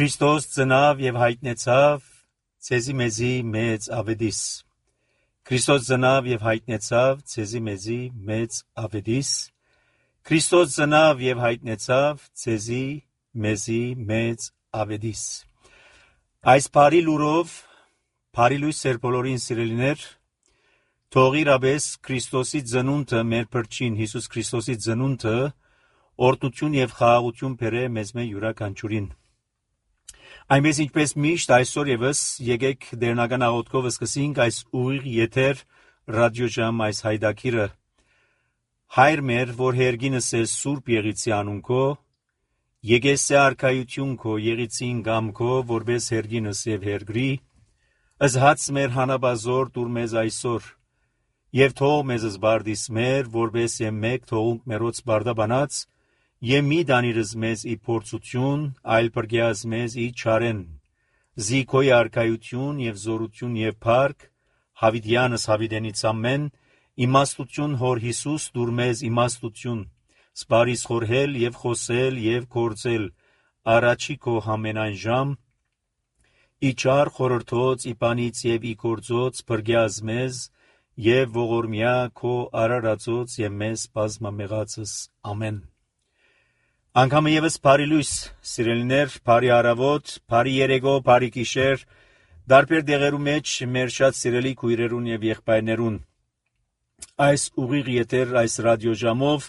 Քրիստոս ծնավ եւ հայտնեցավ ցեզի մեզի մեծ ավետիս։ Քրիստոս ծնավ եւ հայտնեցավ ցեզի մեզի մեծ ավետիս։ Քրիստոս ծնավ եւ հայտնեցավ ցեզի մեզի մեծ ավետիս։ Այս բարի լուրով, բարի լույս սեր բոլորին սիրելիներ, թող իրապես Քրիստոսի ծնունդը մեր փրկին Հիսուս Քրիստոսի ծնունդը օրհնություն եւ խաղաղություն բերե մեզ յուրաքանչյուրին։ Այնպես ինչպես միշտ այսօր եւս եկեք դերնական աղոթքով սկսենք այս ուղիղ եթեր ռադիոժամ այս հայդակիրը։ Հայր մեր, որ հերգինս է Սուրբ Եղիցի անունքո, եկեսե արքայություն քո Եղիցին գամքո, որպես հերգինս եւ հերգրի, ըզհաց մեր հանաբազոր դուր մեզ այսօր, եւ թող մեզ զբարդիս մեր, որպես եմ մեկ թողունք մերոց բարդաբանած, Եմ մի դանիրս մեզ ի փորձություն, այլ բրգյաս մեզ ի չարեն, զիքոյ արքայություն եւ զորություն եւ փառք, հավիդյանս հավիդենից ամեն, իմաստություն հոր Հիսուս դուր մեզ իմաստություն, սպարիս խորհել եւ խոսել եւ կործել, առաջի քո համենայն ժամ, ի չար խորհրդոց, ի բանից եւ ի կործոց, բրգյաս մեզ եւ ողորմյա քո արարածոց եւ մեզ բազմամեղածս ամեն։ Անգամը եւս բարի լույս, սիրելիներ, բարի առավոտ, բարի երեկո, բարի գիշեր, դարբեր դեղերու մեջ մեր շատ սիրելի քույրերուն եւ եղբայրներուն։ Այս ուղիղ եթեր այս ռադիոժամով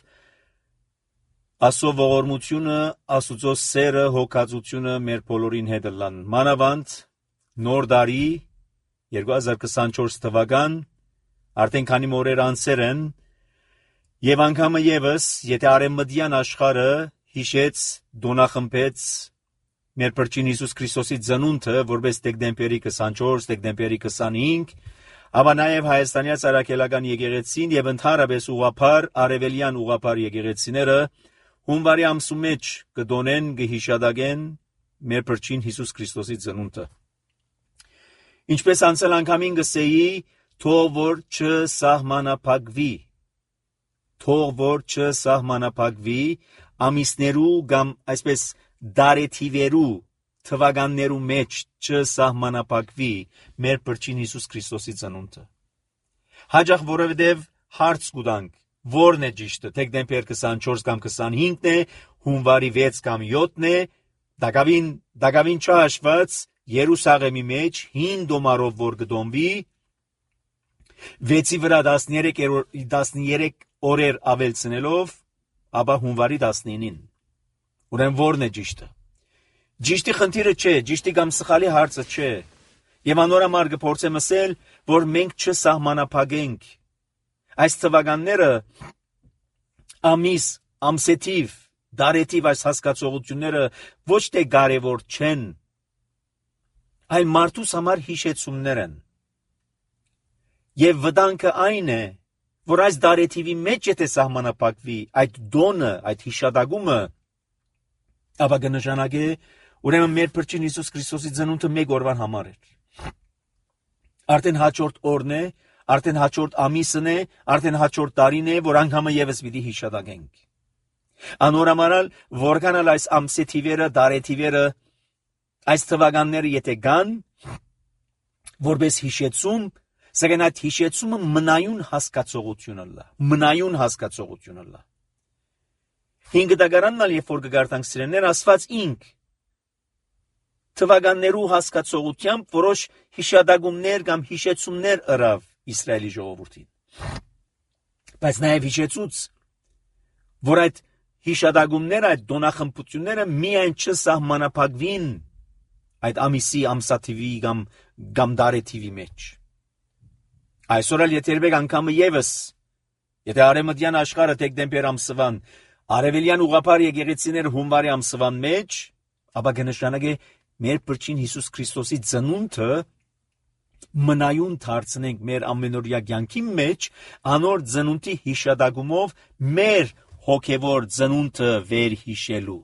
Աստծո ողորմությունը, Աստծո սերը, հոգածությունը մեր բոլորին հետ լան։ Մանավանդ նոր տարի 2024 թվական արդեն քանի օրեր անցեր են եւ անգամը եւս եթե արեմմտյան աշխարհը հիշեց դոնախմբեց մեր Փրկին Հիսուս Քրիստոսի ծնունդը որպես դեկտեմբերի 24, դեկտեմբերի 25, ապա նաև Հայաստանի Արաքելական եկեղեցին եւ ընդհանրապես ուղղափառ արևելյան ուղղափառ եկեղեցիները հունվարի ամսու մեջ կդոնեն կհիշադակեն մեր Փրկին Հիսուս Քրիստոսի ծնունդը։ Ինչպես անցել անգամին գսեի, թող որ չսահմանափակվի, ամիսներու կամ այսպես դարեթիվերու թվականներու մեջ չսահմանափակվի մեր Փրկին Հիսուս Քրիստոսի ծնունդը։ Հաջող որովհետև հարց կուտանք, որն է ճիշտը, դեկտեմբեր 24 կամ 25-ն է, հունվարի 6 կամ 7-ն է, դակավին չհաշված Երուսաղեմի մեջ 5 դոմարով որ կդոմվի, 6-ի վրա 13 օրեր ավելցնելով, ապա հունվարի 19-ին։ Ուրեմն որն է ճիշտը։ Ճիշտի խնդիրը չէ, ճիշտի կամ սխալի հարցը չէ։ Եվ անորամար կփորձեմ ասել, որ մենք չսահմանափակենք այս թվականները ամիս, ամսեթիվ, դարեթիվ այս հասկացողությունները ոչ թե կարևոր չեն, այլ մարդուս համար հիշեցումներ են։ Եվ վտանգը այն է, որ այս դարեթիվի մեջ եթե սահմանափակվի այդ դոնը, այդ հիշադակումը, ապա կնշանակե, ուրեմն մեր Փրկին Հիսուս Քրիստոսի ծնունդը մեկ օրվան համար էր։ Արդեն հաջորդ օրն է, արդեն հաջորդ ամիսն է, արդեն հաջորդ տարին է, որ անգամը եւս պիտի հիշադակենք։ Անորամարալ, որքանալ այս ամսեթիվերը, դարեթիվերը, այս թվականները եթե կան, որպես հիշեցում, սակայն այդ հիշեցումը մնայուն հասկացողություն լա։ Հինգ դագարաննալ երբ որ կգարտանք սիրելիներ, Աստված ինք թվականներու հասկացողությամբ որոշ հիշադակումներ կամ հիշեցումներ ըրավ Իսրայելի ժողովրդին։ Բայց նաև հիշեցուց, որ այդ հիշադակումները, այդ դոնախմբությունները միայն չսահմանափակվին այդ ամիսի, ամսաթիվի կամ դարեթիվի մեջ։ Այսօր էլ եթե երբեք անգամը եւս, եթե արևմտյան աշխարհը դեկտեմբեր ամսվան, արևելյան ուղղափառ եկեղեցիները հունվարի ամսվան մեջ, ապա կնշանակե մեր Փրկին Հիսուս Քրիստոսի ծնունդը մնայուն դարձնենք մեր ամենօրյա կյանքի մեջ, անոր ծնունդի հիշադակումով մեր հոգևոր ծնունդը վերհիշելու,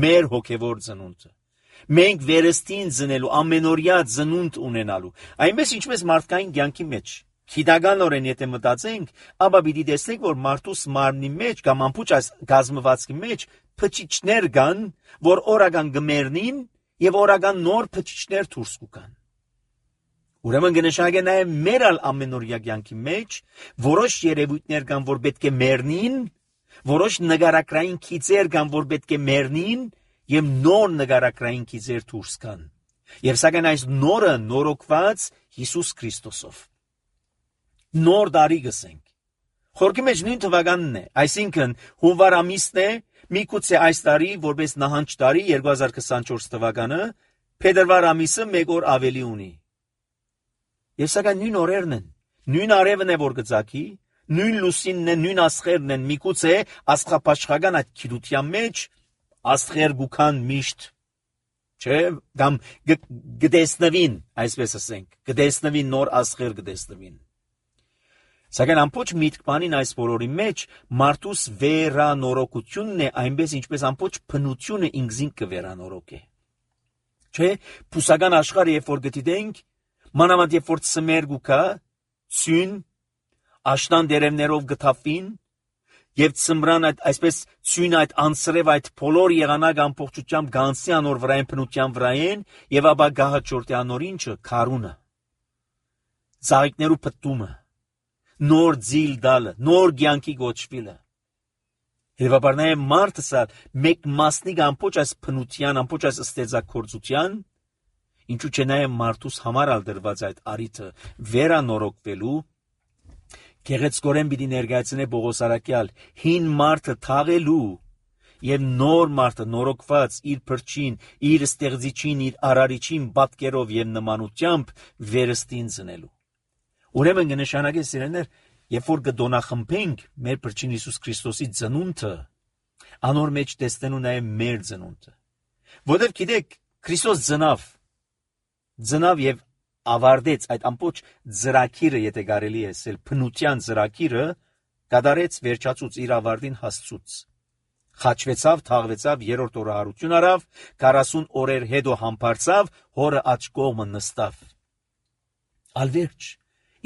մեր հոգևոր ծնունդը։ Մենք վերստին ծնելու, ամենօրյա ծնունդ ունենալու, այնպես ինչպես մարդկային կյանքի մեջ։ Գիտականորեն եթե մտածենք, ապա պիտի տեսնենք, որ մարդուս մարմնի մեջ կամ ամբողջ այս գազմվածքի մեջ փչիչներ կան, որ օրական գմերնին եւ օրական նոր փչիչներ դուրս կգան։ Ուրեմն կնշանակե նաեւ մեր ամենօրյա կյանքի մեջ որոշ երևույթներ կան, որ պետք է մեռնին, որոշ նկարագրային քիծեր կան, որ պետք է մեռնին, եւ նոր նկարագրային քիծեր դուրս կան։ Եվ սակայն այս նորը նորոգված Հիսուս Քրիստոսով։ Նոր տարի գսենք։ Խորքի մեջ նույն թվականն է, այսինքն հունվար ամիսն է, միգուցե այս տարի որպես նահանջ տարի 2024 թվականը, փետրվար ամիսը 1 օր ավելի ունի։ Եվ սակայն նույն օրերն են, նույն արևն է որ գծակի, նույն լուսինն է, նույն աստղերն են, միգուցե աստղապաշխական այդ քիրության մեջ աստղեր գուքան միշտ, չէ, կամ գտեսնվին, այսպես ասենք, գտեսնվին նոր աստղեր գտեսնվին։ Սակայն ամբողջ միտքմանին այս բոլորի մեջ մարդուս վերանորոգությունն է, այնպես ինչպես ամբողջ բնությունը ինքզին կվերանորոգե։ Չէ, փուսական աշխարհը երբ որ գտիտենք, մանավանդ երբ որ ծմեր գուքա, ցյուն, աշնան դերևներով գտավին, եւ ծմրան այդ այսպես ցյուն այդ անսրև այդ բոլոր եղանակ ամբողջությամբ գանցի անոր վրային բնության վրային եւ ապա գահաճորտի անոր ինչը քարունը ծաղիկներու փտումը նոր ձիլ դալը նոր ցանկի գոչվելը Հետևաբար նաեւ մարդը սա մեկ մասնիկ ամբողջ այս բնության ամբողջ այս ստեծակորձության ինչու՞ չէ նաեւ մարդուս համար ալդրված այդ արիթը վերանորոգվելու Գեղեցկորեն պիտի ներկայացնե Պողոս Արաքյալ հին մարդը թաղելու եւ նոր մարդը նորոգված իր փրկին, իր ստեղծիչին, իր արարիչին պատկերով եւ նմանությամբ վերստին ծնելու։ Ուրեմն կնշանակե սիրելիներ, երբ որ կդոնախմբենք մեր փրկին Հիսուս Քրիստոսի ծնունդը, անոր մեջ տեսնելու նաեւ մեր ծնունդը։ Որովհետեւ գիտեք, Քրիստոս ծնավ եւ ավարտեց այդ ամբողջ ծրագիրը, եթե կարելի է ասել, բնության ծրագիրը կատարեց վերջացուց իր ավարտին հասցուց։ Խաչվեցավ, թաղվեցավ, երրորդ օրը հարություն արավ, 40 օրեր հետո համբարձավ, հորը աջ կողմը նստավ։ Ալվերջ,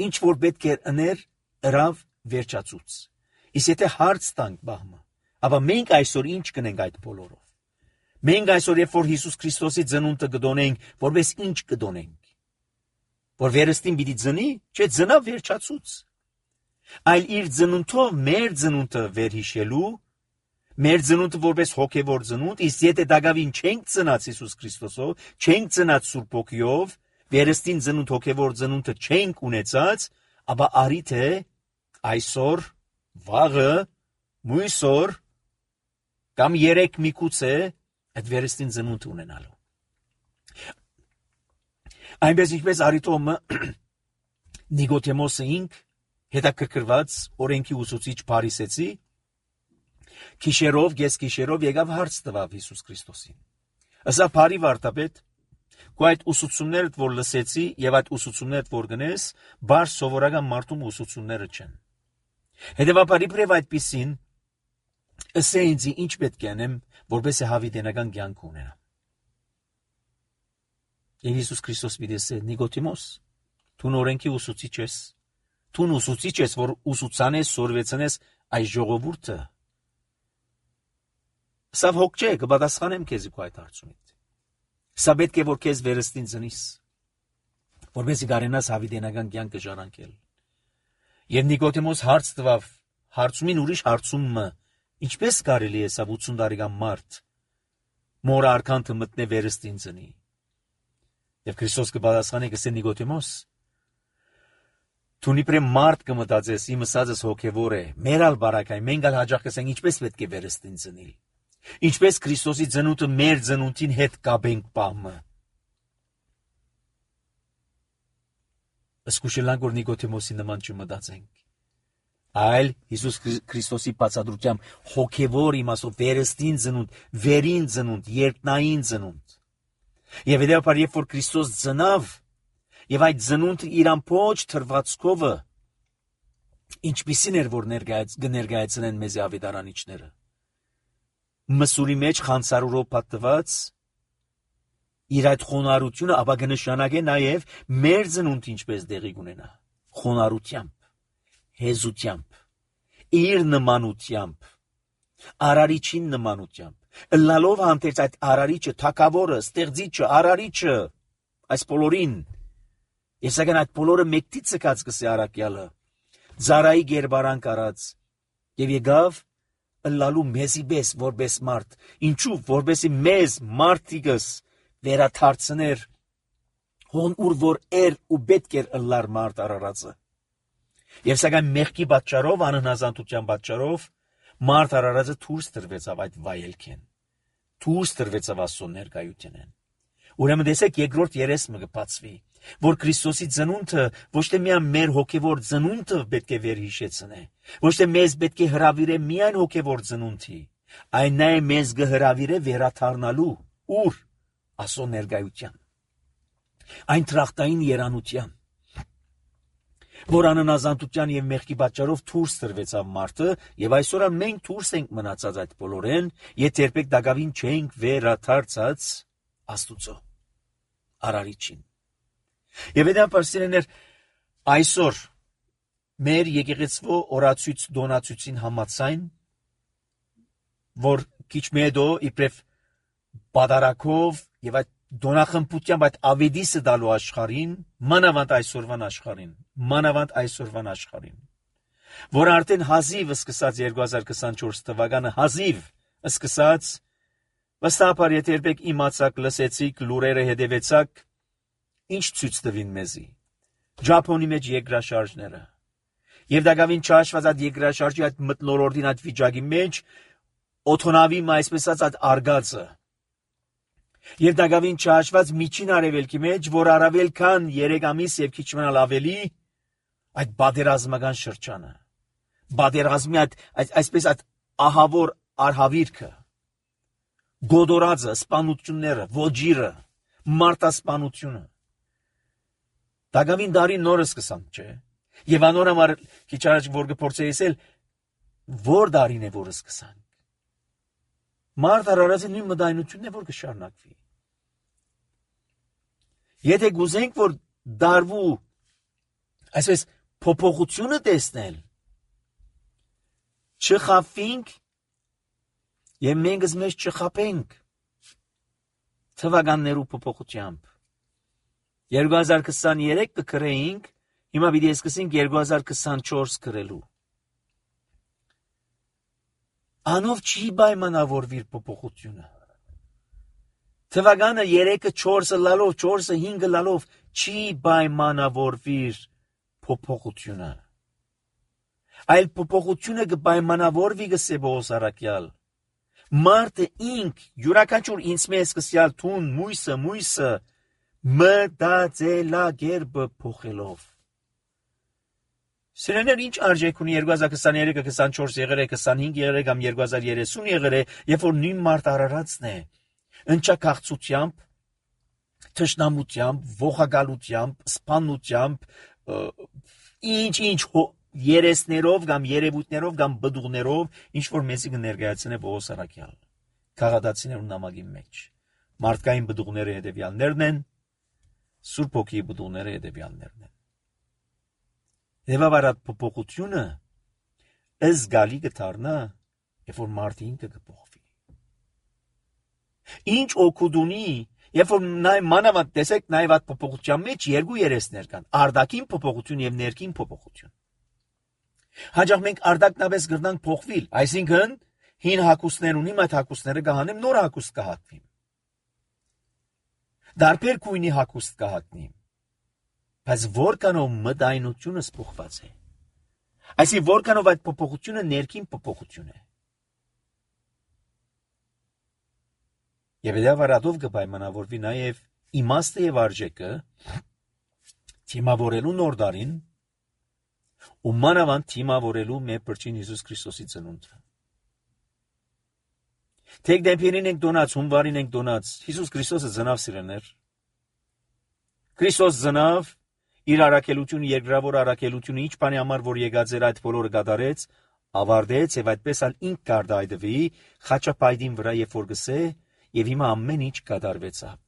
ինչ որ պետք է ըներ, ըրավ վերջացուց։ Իսկ եթե հարց տանք բահմը, ապա մենք այսօր ինչ կնենք այդ բոլորով։ Մենք այսօր երբ որ Հիսուս Քրիստոսի ծնունդը կդոնենք, որպես ինչ կդոնենք։ Որ վերստին պիտի ծնի, չէ, ծնավ վերջացուց։ Այլ իր ծնունդով մեր ծնունդը վերհիշելու, մեր ծնունդը որպես հոգևոր ծնունդ, իսկ եթե դակավին չենք ծնած Հիսուս Քրիստոսով, չենք ծնած Սուրբ Հոգիով, վերստին ծնունդ հոգևոր ծնունդը չենք ունեցած, ապա արիթ է այսօր, վաղը, մույսօր կամ երեք միգուցե այդ վերստին ծնունդ ունենալու։ Այնպես ինչպես Արիթոմը Նիկոդեմոսը ինք հետաքրքրված օրենքի ուսուցիչ Փարիսեցի գիշերով եկավ հարց տվավ Հիսուս Քրիստոսին։ Ասա բարի վարդապետ, քո այդ ուսուցումներդ որ լսեցի եւ այդ ուսուցումներդ որ գնես, բար սովորական մարդու ուսուցումները չեն։ Հետևաբար իբրև այդպիսին ասե ինձ ինչ պետք է անեմ, որպես հավիտենական կյանք ունենամ։ Եվ Հիսուս Քրիստոս պիտի ասե Նիկոդեմոս, դու օրենքի ուսուցիչ ես, դու ուսուցիչ ես, որ ուսուցանես, սորվեցնես այս ժողովուրդը։ Սա հոգ չէ, կպատասխանեմ քեզ քո այդ հարցումից։ Սա պետք է որ քեզ վերստին ծնիս, որպեսզի կարենաս հավիտենական կյանքը ժառանգել։ Եվ Նիկոդեմոս հարց տվավ, հարցումին ուրիշ հարցումը, ինչպես կարելի է սա 80 տարեկան մարդ մոր արքանքը մտնե վերստին ծնի։ Եվ Քրիստոս կպատասխանի կսե Նիկոդեմոս, դու իբրև մարդ կմտածես, իմ ասածս հոգևոր է, մեր ալ բարակային, մենք ալ հաջող կսենք ինչպես պետք է վերստին ծնիլ, ինչպես Քրիստոսի ծնունդը մեր ծնունդին հետ կապենք պահմը։ Սկուշելանք որ Նիկոդեմոսի նման չմտածենք, այլ Հիսուս Քրիստոսի բացատրությամբ հոգևոր իմաստով վերստին ծնունդ, վերին ծնունդ, երկնային ծնունդ։ Եվ հետևաբար երբ որ Քրիստոս ծնավ, եւ այդ ծնունդը իր ամբողջ թրվածքովը ինչպիսին էր որ ներկայացնեն մեզ ավետարանիչները։ Մսուրի մեջ խանցարուրով պատված իր այդ խոնարհությունը, ապա կնշանակե նաեւ մեր ծնունդը ինչպես դեղի կունենա, խոնարհությամբ, հեզությամբ, իր նմանությամբ, արարիչին նմանությամբ, Ըլլալով հանդերձ այդ արարիչը, թագավորը, ստեղծիչը, արարիչը, այս բոլորին, եւ սակայն այդ բոլորը մեկտից ցկած կսի առաքյալը, ծարայի գերբարանք արած, եւ եկավ ըլլալու մեզի պես որպես մարդ, ինչու որպեսի մեզ մարդիկս վերաթարցներ հոն ուր որ ու պետք էր ըլլար մարդ արարածը։ Եվ սակայն մեղքի պատճառով, անհնազանդության պատճառով մարդ արարածը դուրս տրվեցավ այդ վայելքեն, դուրս տրվեցավ Աստծո ներկայությունեն։ Ուրեմն տեսեք երկրորդ երեսը կբացվի, որ Քրիստոսի ծնունդը ոչ թե միայն մեր հոգևոր ծնունդը պետք է վերհիշեցնե, ոչ թե մեզ պետք է հրավիրե միայն հոգևոր ծնունդի, այն նաև մեզ կհրավիրե վերաթարնալու ուր Աստծո ներկայության, այն տրախտային երանության, որ անհնազանդության եւ մեղքի պատճառով դուրս տրվեցավ մարդը, եւ այսօր մենք դուրս ենք մնացած այդ բոլորեն, եթե երբեք դակավին չենք վերաթարցած Աստուծո արարիչին։ Եվ դա պարսիրներ այսօր մեր եկեղեցվո օրացույց դոնացույցին համաձայն, որ քիչ մեդո իբրև բادرակով եւ այդ դոնախմբությամբ այդ ավետիսը դալու աշխարհին, մանավանդ այսօրվան աշխարհին, որ արդեն հազիվ սկսած 2024 թվականը հազիվ սկսած վստահաբար եթե երբեք իմացաք, լսեցիք, լուրերը հետևեցաք, ինչ ցույց տվին մեզի Ճապոնի մեջ երկրաշարժները եւ դակավին չհաշված այդ երկրաշարժի այդ մթնոլորտին այդ վիճակի մեջ օթոնավի այսպես ասած այդ արգածը եւ դակավին չհաշված միջին արևելքի մեջ, որ առավել քան 3 ամիս եւ քիչ մնալ ավելի այդ բادرազմական շրջանը, բادرազմի այսպես այդ ահավոր արհավիրքը, գոդորածը, սպանությունները, ոջիրը, մարտասպանությունը, դակավին դարի նորը սկսան, չէ, եւ անոր համար քիչ առաջ որ կփորձեի որ դարին է որ սկսանք, մարդ արարածի նույն մտայնությունն է որ կշարունակվի։ Եթե գուզենք որ դարվու այսպես փոփոխությունը տեսնել, չխափվենք եւ մենք մեզ չխափենք թվականներու փոփոխությամբ։ 2023 կգրեինք, հիմա պիտի սկսենք 2024 գրելու։ Անով չի պայմանավորվիր փոփոխությունը։ Թվականը 3-ը 4-ը լալով, 4-ը 5-ը լալով չի պայմանավորվիր փոփոխությունը։ Այլ փոփոխությունը կպայմանավորվի գսե Պողոս առաքյալ։ Մարդը ինք յուրաքանչյուր ինձ մեզ սկսյալ թուն մույսը մտածելակերպը փոխելով։ Սիրեներ ինչ արժեք ունի 2023-ը, 24 եղել է, 25 եղել է, կամ 2030 եղել է, երբ որ նույն մարդ արարածն է, ընչակաղցությամբ, թշնամությամբ, ողակալությամբ, սպանությամբ, ինչ երեսներով կամ երևույթներով կամ բդուղներով, ինչ որ մեզի կներկայացնե Պողոս առաքյալ, քաղաքացիներու նամակի մեջ։ Մարդկային բդուղները հետևյալներն են, Սուրբ Հոգիի բդուղները հետևյալներն են։ Եվավարատ փոփոխությունը զգալի կդառնա, երբ որ մարդը ինքը կփոխվի։ Ինչ օգուտ ունի, երբ որ մանավանդ տեսեք նաև այդ փոփոխության մեջ երկու երեսներ կան՝ արտաքին փոփոխություն եւ ներքին փոփոխություն։ Հաջող մենք արտաքնապես գրնանք փոխվել, այսինքն հին հագուստներ ունիմ, այդ հագուստները կհանեմ, նոր հագուստ կհատվի։ Դարբեր գույնի հագուստ կհատնի։ Բայց որքանով մտայնությունը սփոխված է։ Այսինքն որքանով այդ փոփոխությունը ներքին փոփոխություն է։ Եվ դա վարադով կպայմանավորվի նաև իմաստը եւ արժեքը թիմավորելու նոր դարին ու մանավանդ թիմավորելու մեր Փրկին Հիսուս Քրիստոսի ծնունդը։ Թեք դեպերին ենք դոնած, հունվարին ենք դոնած, Հիսուս Քրիստոսը ծնավ սիրեներ։ Քրիստոս ծնավ իր առաքելությունը, երկրավոր առաքելությունը, ինչ բանի համար որ եկած էր այդ բոլորը կատարեց, ավարտեց եւ այդպես ալ ինք կարտայդվի խաչապայդին վրա երբ որ գսե եւ հիմա ամեն ինչ կատարվեցավ։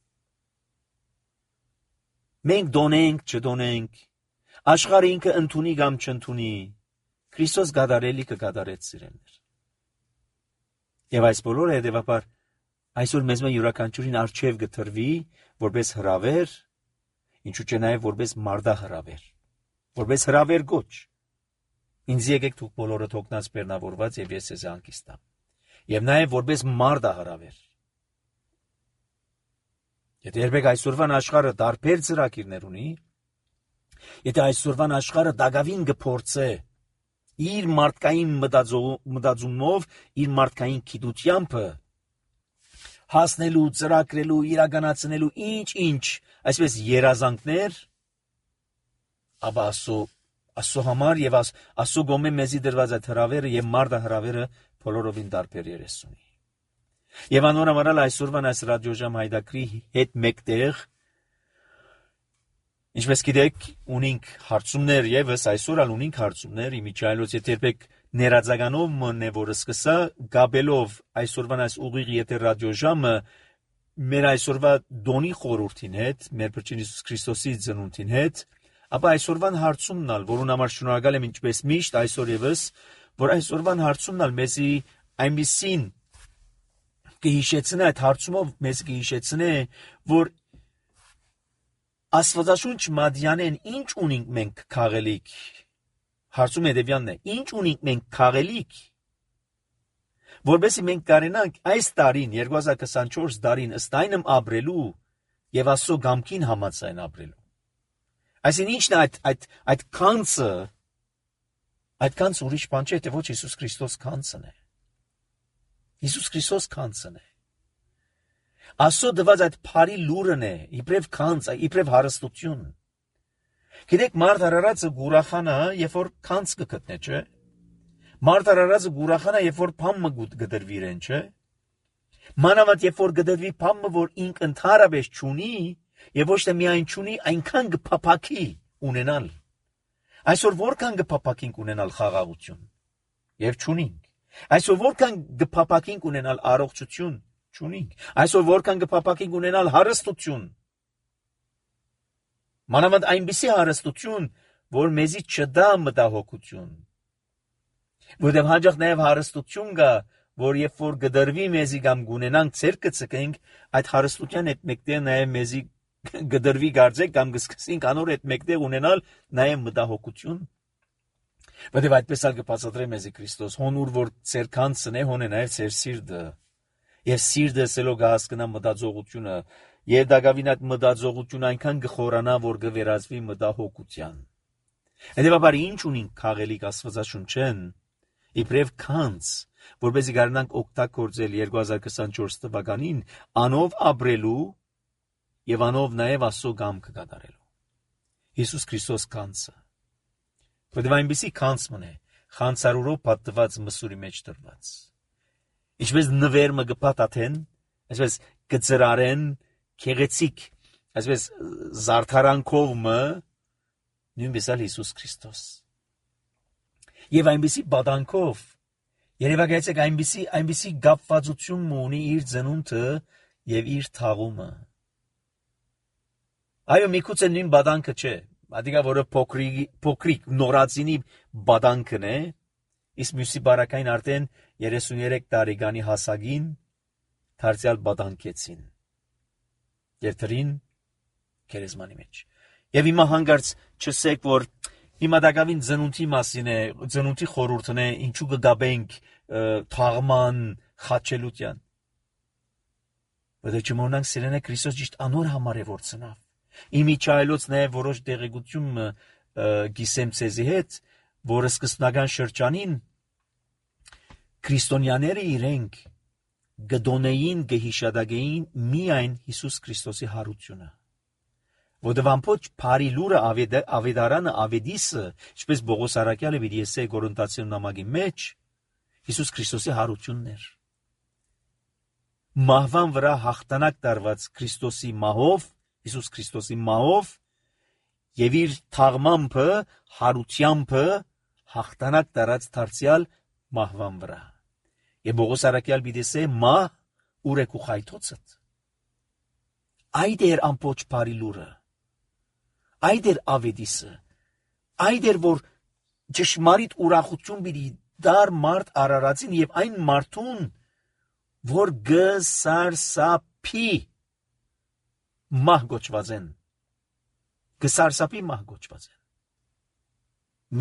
Մենք դոնենք, չդոնենք, աշխարհը ինքը ընդունի կամ չընդունի, Քրիստոս կատարելի կկատարեց սիրելիներ։ Եվ այս բոլորը հետևաբար Այսօր մեզ մը յուրաքանչյուրին արչև գտրվի որպես հրավեր, ինչու՞ չէ նաև որպես մարդահրավեր, որպես հրավեր գոչ։ Ինձ եկեք դուք բոլորը թողնած բեռնավորված եւ ես ձեզ հանգիստ տամ։ Եվ նաև որպես մարդահրավեր։ Եթե երբեք այսօրվան աշխարհը տարբեր ծրագիրներ ունի, եթե այսօրվան աշխարհը դակավին կփորձե իր մարդկային մտածումով, իր մարդկային գիտությամբ հասնելու, ծրագրելու, իրականացնելու ինչ, այսպես երազանքներ, ապա Աստծո համար եւ Աստծո գոմե մեզի դրված այդ հրավերը եւ մարդահրավերը բոլորովին տարբեր երես ունի։ Եվ անորամարալ այսօրվան այս ռադիոժամ հայդակրի հետ մեկտեղ, ինչպես գիտեք, ունենք հարցումներ եւս այսօր ալ ունենք հարցումներ, իմիջայլոց եթե երբեք ներածականով մնե որը սկսա գաբելով այսօրվան այս ուղիղ եթե ռադիոժամը մեր այսօրվա դոնի խորհրդին հետ, մեր Փրկիչ Հիսուս Քրիստոսի ծնունդին հետ, ապա այսօրվան հարցումն ալ, որուն համար շնորհակալ եմ ինչպես միշտ այսօր եւս, որ այսօրվան հարցումն ալ մեզի այնպիսին կհիշեցնե այդ հարցումով մեզ կհիշեցնե, որ Աստվածաշունչ մադյանեն ինչ ունենք մենք քաղելիք, հարցում հետևյալն է, ինչ ունենք մենք քաղելիք, որովհետեւ մենք կարենանք այս տարին 2024 տարին ըստ այնմ ապրելու եւ Աստծո գամքին համաձայն ապրելու։ Այսինքն ինչն է այդ կանցը, այդ կանցը ուրիշ բան չէ, թե ոչ Հիսուս Քրիստոս կանցն է։ Հիսուս Քրիստոս կանցն է։ Աստծո դված այդ բարի լուրն է, իբրև կանց, իբրև հարստություն։ Գիտեք, մարդ արարածը գուրախանա, երբ որ կանց կգտնե, չէ՞։ Մարդ արարածը գուրախանա, երբ որ փամը գդրվի իրեն, չէ՞։ Մանավանդ երբ որ գդրվի փամը, որ ինք ընդհանրապես չունի, եւ ոչ թե միայն չունի, այնքան կփափակի ունենալ։ Այսօր որքան կփափակենք ունենալ խաղաղություն, եւ չունենք։ Այսօր որքան կփափակենք ունենալ առողջություն, չունենք։ Այսօր որքան կփափակենք ունենալ հարստություն։ Մանավանդ այնպիսի հարստություն, որ մեզի չդա մտահոգություն։ Որտեղ հաջող նաև հարստություն կա, որ երբ որ գդրվի մեզի կամ գունենանք ցերկը ցկենք, այդ հարստության հետ մեկտեղ նաև մեզի գդրվի գարձեք կամ կսկսենք անոր հետ մեկտեղ ունենալ նաև մտահոգություն։ Որտեղ այդպես ալ կբացատրե մեզի Քրիստոս, հոնուր որ ցեր կանցն է, հոն է նաև ցեր սիրտը։ Եվ սիրտը սելով կհասկնա մտածողությունը, եւ դակավին այդ մտածողությունը այնքան կխորանա, որ կվերածվի մտահոգության։ Հետևաբար ինչ ունենք քաղելիք Աստվածաշունչեն, իբրև կանց, որպեսզի կարողանանք օգտագործել 2024 թվականին անով ապրելու եւ անով նաեւ Աստծո կամքը կատարելու։ Հիսուս Քրիստոս կանցը։ Որտեղ այնպիսի կանց մնե, խանցարուրով պատված մսուրի մեջ դրված։ Ինչպես նվերմը կպատաթեն, այսպես կծրարեն քեղեցիկ, այսպես զարդարանքով մը նույնպես էլ Հիսուս Քրիստոս։ Եվ այնպիսի բադանքով, երևակայեցեք այնպիսի գապվածություն ունի իր ծնունդը եւ իր թաղումը։ Այո, միգուցե նույն բադանքը չէ, ադիգա որը փոքրիկ նորածինի բադանքն է, իսկ մյուսի բարակային արդեն 33 տարեկանի հասակին դարձյալ բադանքեցին եւ դրին քերեզմանի մեջ։ Եվ հիմա հանգարց չսեք, որ հիմա դակավին ծնունդի մասին է, ծնունդի խորհուրդն է, ինչու կգաբենք թաղման խաչելության։ Բայց չմոռանանք սիրենե Քրիստոս ճիշտ անոր համար է որ ծնավ։ Իմիջայլոց նաեւ որոշ դեղեցություն գիսեմ ցեզի հետ, որը սկզբնական շրջանին քրիստոնյաները իրենք գդոնեին գհիշադագեին միայն Հիսուս Քրիստոսի հարությունը։ Որտեղ ամփոչ բարի լուրը ավետարանը ավետիսը, ինչպես Բողոս Արաքյալը պիտի ասե Կորինթացիներուն նամակի մեջ, Հիսուս Քրիստոսի հարությունն էր։ Մահվան վրա հաղթանակ տարված Քրիստոսի մահով, Հիսուս Քրիստոսի մահով եւ իր թաղմամբը, հարությամբ հաղթանակ տարած դարձյալ մահվան վրա։ Եվ Բողոս Արաքյալ պիտի ասե մահ ուր է քու խայթոցդ։ Այդ էր ամբողջ բարի լուրը։ Այդ էր ավետիսը։ Այդ էր որ ճշմարիտ ուրախություն պիտի դար մարդ արարածին եւ այն մարդուն, որ գսարսափի մահ գոչված են։ Գսարսափի մահ գոչված են։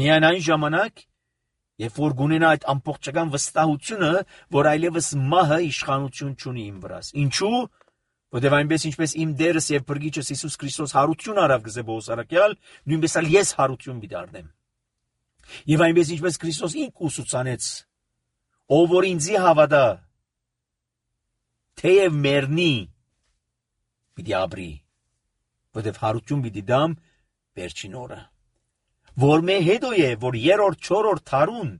Միայն այն ժամանակ, երբ որ գունենա այդ ամբողջական վստահությունը, որ այլևս մահը իշխանություն չունի իմ վրաս։ Ինչու՞։ Որտեղ այնպես ինչպես իմ Տերս եւ Փրկիչս Հիսուս Քրիստոս հարություն արավ գզե Պողոս առաքյալ, նույնպես էլ ես հարություն պիտի Եվ այնպես ինչպես Քրիստոս ինք ուսուցանեց, ով որ ինձի հավատա, թեև մեռնի, պիտի ապրի, որտեղ հարություն պիտի դամ վերջին օրը։ Որ մե հետո է, որ երրորդ, չորրորդ թարուն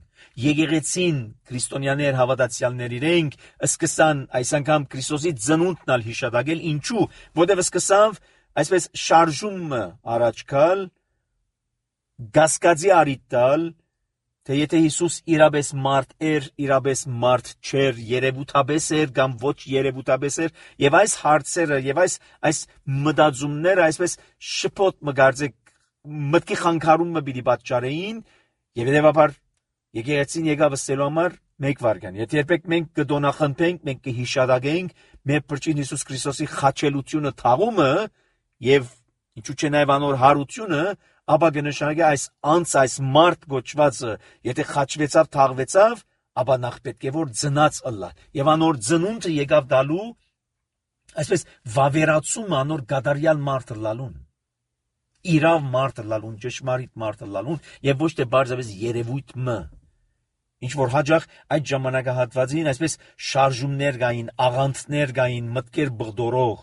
եկեղեցին քրիստոնյաներ հավատացյալներ իրենք սկսան այս անգամ Քրիստոսի ծնունդն ալ հիշատակել, ինչու, որտեղ սկսավ այսպես շարժումը առաջ գալ, գասկածի առիթ տալ, թե եթե Հիսուս իրապես մարդ էր, իրապես մարդ չէր, երևութաբես էր կամ ոչ երևութաբես էր, եւ այս հարցերը եւ այս մտածումները այսպես շփոթ մգարձեք մտքի խանգարումը պիտի պատճառեին, եւ հետեւաբար եկեղեցին եկավ ըստելու համար մեկ վարքան։ Եթե երբեք մենք կդոնախնդենք, մենք կհիշատակենք մեր Փրկիչ Հիսուս Քրիստոսի խաչելությունը, թաղումը եւ ինչու՞ չէ նաեւ անոր հարությունը, ապա կնշանակի այս այս մարդ գոչվածը, եթե խաչվեցավ, թաղվեցավ, ապա նախ պետք է որ ծնած ըլլա։ Եվ անոր ծնունդը եկավ դալու, այսպես վավերացումը անոր գադարյալ մարդը լալուն, իրավ մարդը լալուն, ճշմարիտ մարդը լալուն, եւ ոչ թե բարձրապես երևույթը։ Ինչ որ հաջող այդ ժամանակահատվածին այսպես շարժումներ կային, աղանդներ կային, մտքեր բղդորող։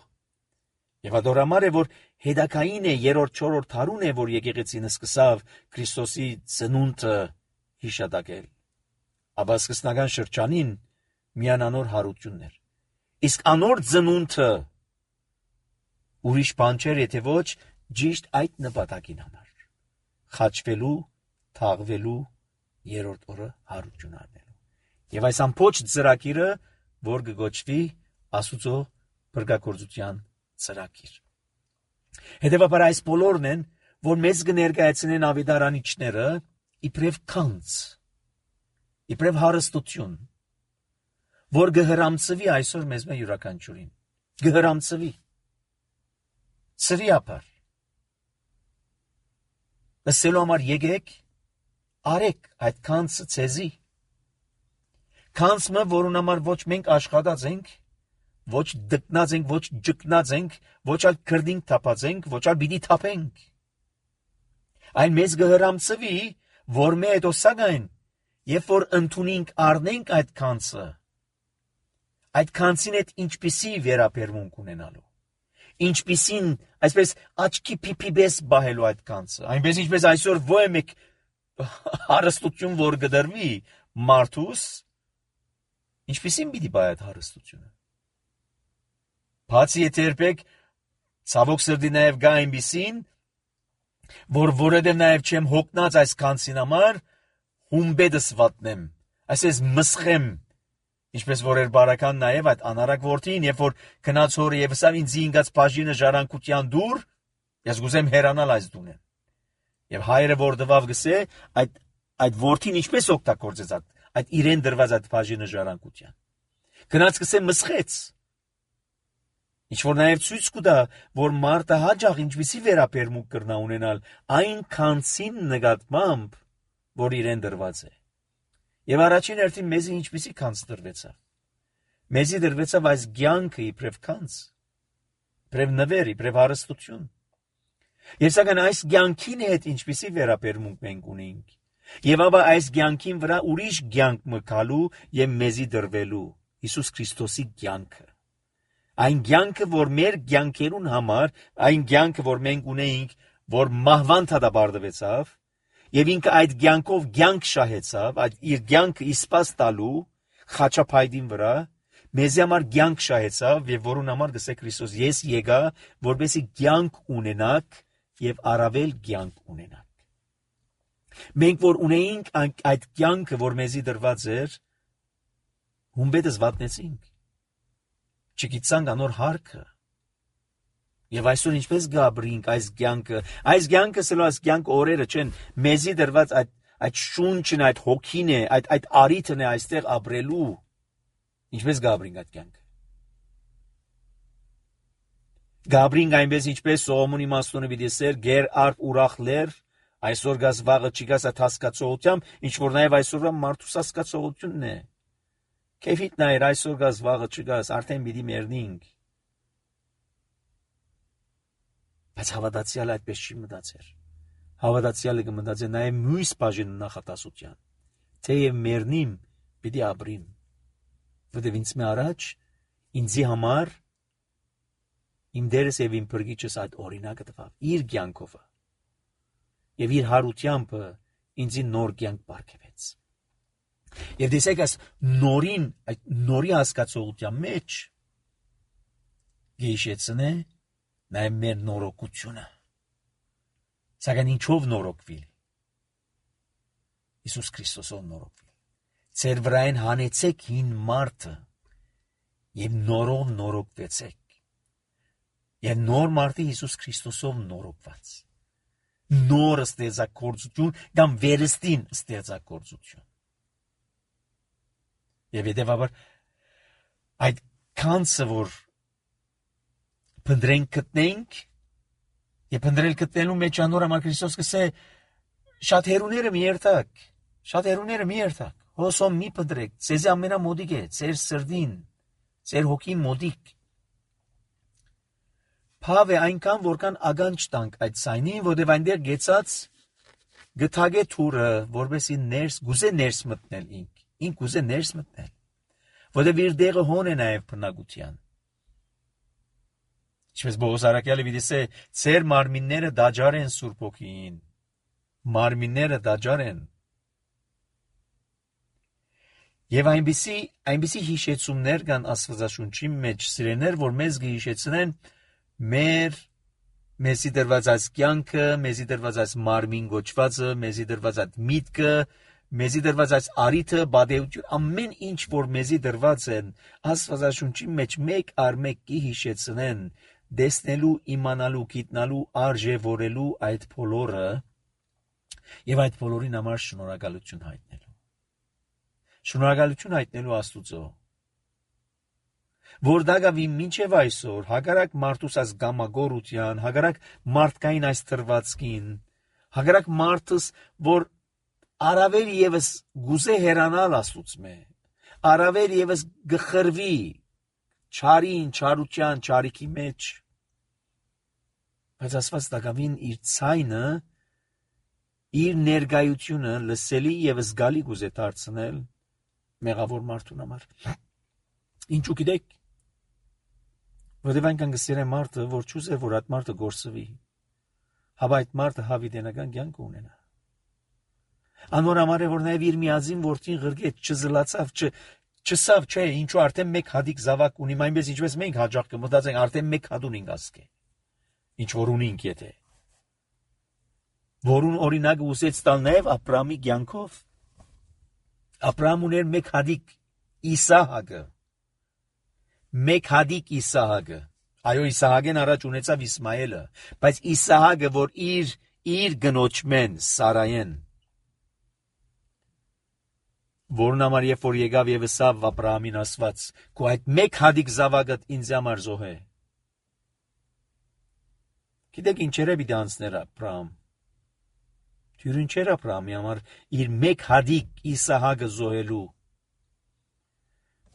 Եվ adorամար է որ հետակային է երրորդ, չորրորդ հարուն է, որ եկեղեցին սկսավ Քրիստոսի ծնունդը հիշատակել։ Ապա սկսնական շրջանին միան անոր հարություններ։ Իսկ անոր ծնունդը ուրիշ բան չէր, եթե ոչ ճիշտ այդ նպատակին համար։ Խաչվելու, թաղվելու երրորդ օրը հարություն առնելու։ Եվ այս ամբողջ ծրագիրը, որ կգոչվի Աստուծո փրկագործության ծրագիր։ Հետևաբար այս բոլորն են, որ մեզ կներկայացնեն ավետարանիչները իբրև քանց, իբրև հարստություն, որ կհրամցվի այսօր մեզ մե յուրաքանչյուրին, կհրամցվի, սրիապար, ըսելու համար եկեք, արեք այդ քանցը ցեզի, քանցը, որուն համար ոչ մենք աշխատած ենք, ոչ դգնած ենք, ոչ ջկնած ենք, ոչ ալ քրդինք թափած ենք, ոչ ալ պիտի թափենք։ Այլ մեզ կհրամցվի, որ մե հետո սակայն, երբ որ ընդունենք առնենք այդ քանցը, այդ քանցին հետ ինչպիսի վերաբերմունք ունենալու, ինչպիսին, այսպես աչքի փիփիբես բահելու այդ քանցը, այնպես ինչպես այսօր ոչ մեկ հարստություն որ գդրվի մարդուս, ինչպիսին պիտի բայ այդ հարստությունը։ Բացի եթե երբեք ցավոք սրտի նաև գա այնպիսին, որ որովհետև նաև չեմ հոգնած այս քանցին համար, հումբեդս վատնեմ, այսպես մսխեմ, ինչպես որ էր բարական նաև այդ անարակ որդին, երբ որ քնած հորը եւ սա ինձ ինգած բաժինը ժառանգության դուր, ես գուզեմ հերանալ այս դունեն։ Եվ հայրը որ դվավ գսե, այդ որդին ինչպես օգտագործեց այդ իրեն դրված այդ բաժինը ժառանգության։ Քնած գսե մսխեց։ Ինչ որ նաև ցույց կտա, որ մարդը հաջող ինչպիսի վերաբերմունք կրնա ունենալ այն քանցին նկատմամբ, որ իրեն դրված է։ Եվ առաջին հերթին մեզի ինչպիսի քանց դրվեցավ։ Մեզի դրվեցավ այս կյանքը իբրև քանց, իբրև նվեր, իբրև հարստություն։ Եվ սակայն այս կյանքին հետ ինչպիսի վերաբերմունք մենք ունենք։ Եվ ապա այս կյանքին վրա ուրիշ կյանք մկալու եւ մեզի դրվելու Հիսուս Քրիստոսի կյանքը։ Այն կյանքը, որ մեր կյանքերուն համար, այն կյանքը, որ մենք ունեինք, որ մահվան դադարեցավ, եւ ինքը այդ կյանքով կյանք շահեցավ, այդ իր կյանքը իսպաս տալու խաչապայդին վրա, մեզ համար կյանք շահեցավ եւ որուն համար գսե Քրիստոս ես եկա, որպեսզի կյանք ունենաք եւ առավել կյանք ունենաք։ Մենք որ ունեինք այդ կյանքը, որ մեզի դրված էր, հումբեդս վատնեցինք։ Չգիտանք անոր հարկը։ Եվ այսօր ինչպես գաբրինք այս կյանքը սլո այս կյանք օրերը չեն, մեզի դրված այդ շունչն, այդ հոգին է, այդ արիթն է այստեղ ապրելու։ Ինչպես Գաբրին այդ կյանքը։ Գաբրին այնպես ինչպես Սողոմոնի իմաստունը պիտի սեր գեր արփ ուրախ լեր, այսօր գաս վաղը չի գաս այդ հասկացողությամբ, ինչ որ նաև այսօրվա մարդուս հասկացողությունն է։ Քեֆիտ նայր այսօր գաս վաղը չգաս, արդեն պիտի մեռնինք։ Բայց հավատացյալը այդպես չի մտածեր։ Հավատացյալը կմտածի նաև մյուս բաժին նախատասության։ Թեև մեռնիմ, պիտի ապրիմ։ Որտեւ ինձ մե առաջ ինձի համար իմ դերս եւ իմ բրգիչս այդ օրինակը տվավ իր կյանքով եւ իր հարությամբ ինձի նոր կյանք բարգեւեց։ Եվ դեսեք այս նորին, այդ նորի հասկացողության մեջ գեշեցնե նաև մեր նորոգությունը։ Սակայն ինչով նորոգվի։ Հիսուս Քրիստոսով նորոգվի։ Ձեր վրային հանեցեք հին մարդը եւ նորով նորոգվեցեք։ Եվ նոր մարդը Հիսուս Քրիստոսով նորոգված։ Նոր ստեղծագործություն կամ վերստին ստեղծագործություն։ Եվ հետևաբար այդ կանցը որ փնտրենք գտնենք եւ փնտրել գտնելու մեջ անոր համար Քրիստոս կսե շատ հերուները մի երթակ հոսոմ մի փնտրեք ձեզ ամենամոդիկ է ձեր սրդին ձեր հոգին մոդիկ Փավ է այնքան որքան ագանջ տանք այդ սայնին որովհետեւ այնտեղ գեցած գթագե թուրը որովհետեւ ներս գուզե ներս մտնել ինք գուզե ներս մտնել որովհետեւ իր դեղը հոն է նաեւ բնակության Ինչպես Բողոս Արաքյալը վիդիսե ծեր մարմինները դաջար են Սուրբ Հոգին մարմինները դաջար են Եվ այնպիսի հիշեցումներ կան Աստվածաշունչի մեջ սիրեներ որ մեզ կհիշեցնեն մեզի դրված այս կյանքը մեզի դրված այս մարմին գոչվածը մեզի դրված այդ միտքը մեզի դրված այս արիթը բադեություն ամեն ինչ որ մեզի դրված են Աստվածաշունչի մեջ մեկ առ մեկ կհիշեցնեն դեսնելու իմանալու գիտնալու արժևորելու այդ բոլորը եւ այդ բոլորին համար շնորհակալություն հայտնելու Շնորհակալություն հայտնելու Աստուծո որ դակավի մինչև այսօր հակառակ մարդուս այս գամագորության հակառակ մարդկային այս թրվածքին հակառակ մարդուս որ արավեր եւս գուզե հերանալ Աստուծմե արավեր եւս գխրվի չարին չարության չարիքի մեջ բայց Աստված դակավին իր ցայնը իր ներգայությունը լսելի եւ զգալի գուզե դարձնել մեղավոր մարդուն համար ինչու գիտեք որովհետև այնքան գսիրե մարդը որ չուզեր որ այդ մարդը գործվի հավա այդ մարդը հավիտենական կյանք ունենա անոր համար է որ նաև իր միածին որդին ղրգեց չզլացավ չսավ չէ ինչու արդեն մեկ հադիկ զավակ ունի այնպես ինչպես մենք հաջող կմտածենք արդեն մեկ հատ ունենք ասկե ինչ որ ունենք եթե որուն օրինակը ուսեց տալ նաև Աբրահամի կյանքով Աբրահամ ուներ մեկ հադիկ Իսահակը մեկ հադիկ Իսահակը այո Իսահակեն առաջ ունեցավ Իսմայելը բայց Իսահակը որ իր գնոջմեն Սարայեն որն համար երբ որ եկավ եւ ասավ Աբրահամին ասված քո այդ մեկ հադիկ զավակդ ինձ համար զոհե գիտեք ինչեր է պիտի անցներ Աբրահամ Թյուրին չէր Աբրահամի համար իր մեկ հադիկ Իսահակը զոհելու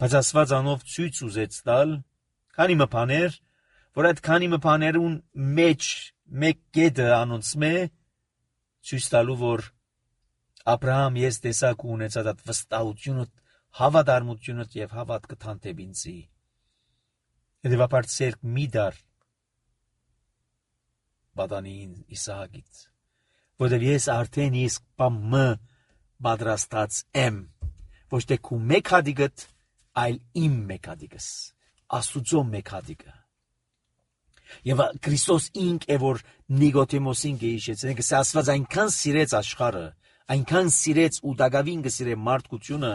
բայց Աստված անով ցույց ուզեց տալ քանի մփաներ որ այդ քանի մփաներուն մեջ մեկ կետը անոնցմե ցույց տալու որ Աբրահամ ես տեսակ ունեցած այդ վստահությունը հավատարմությունը եւ հավատքը թանտեբ ինձի հետեւաբար ցերկ մի դար բադանին Իսահակից որովհետև ես արդեն իսկ բամը պատրաստած եմ ոչ թե քու մեկ հադիկդ այլ իմ մեկ հադիկս Աստուծո մեկ հադիկը եւ Քրիստոս ինք է որ Նիկոդեմոսին գեհիշեցնենք սա Աստված այնքան սիրեց աշխարհը այնքան սիրեց ու դակավին գսիրե մարդկությունը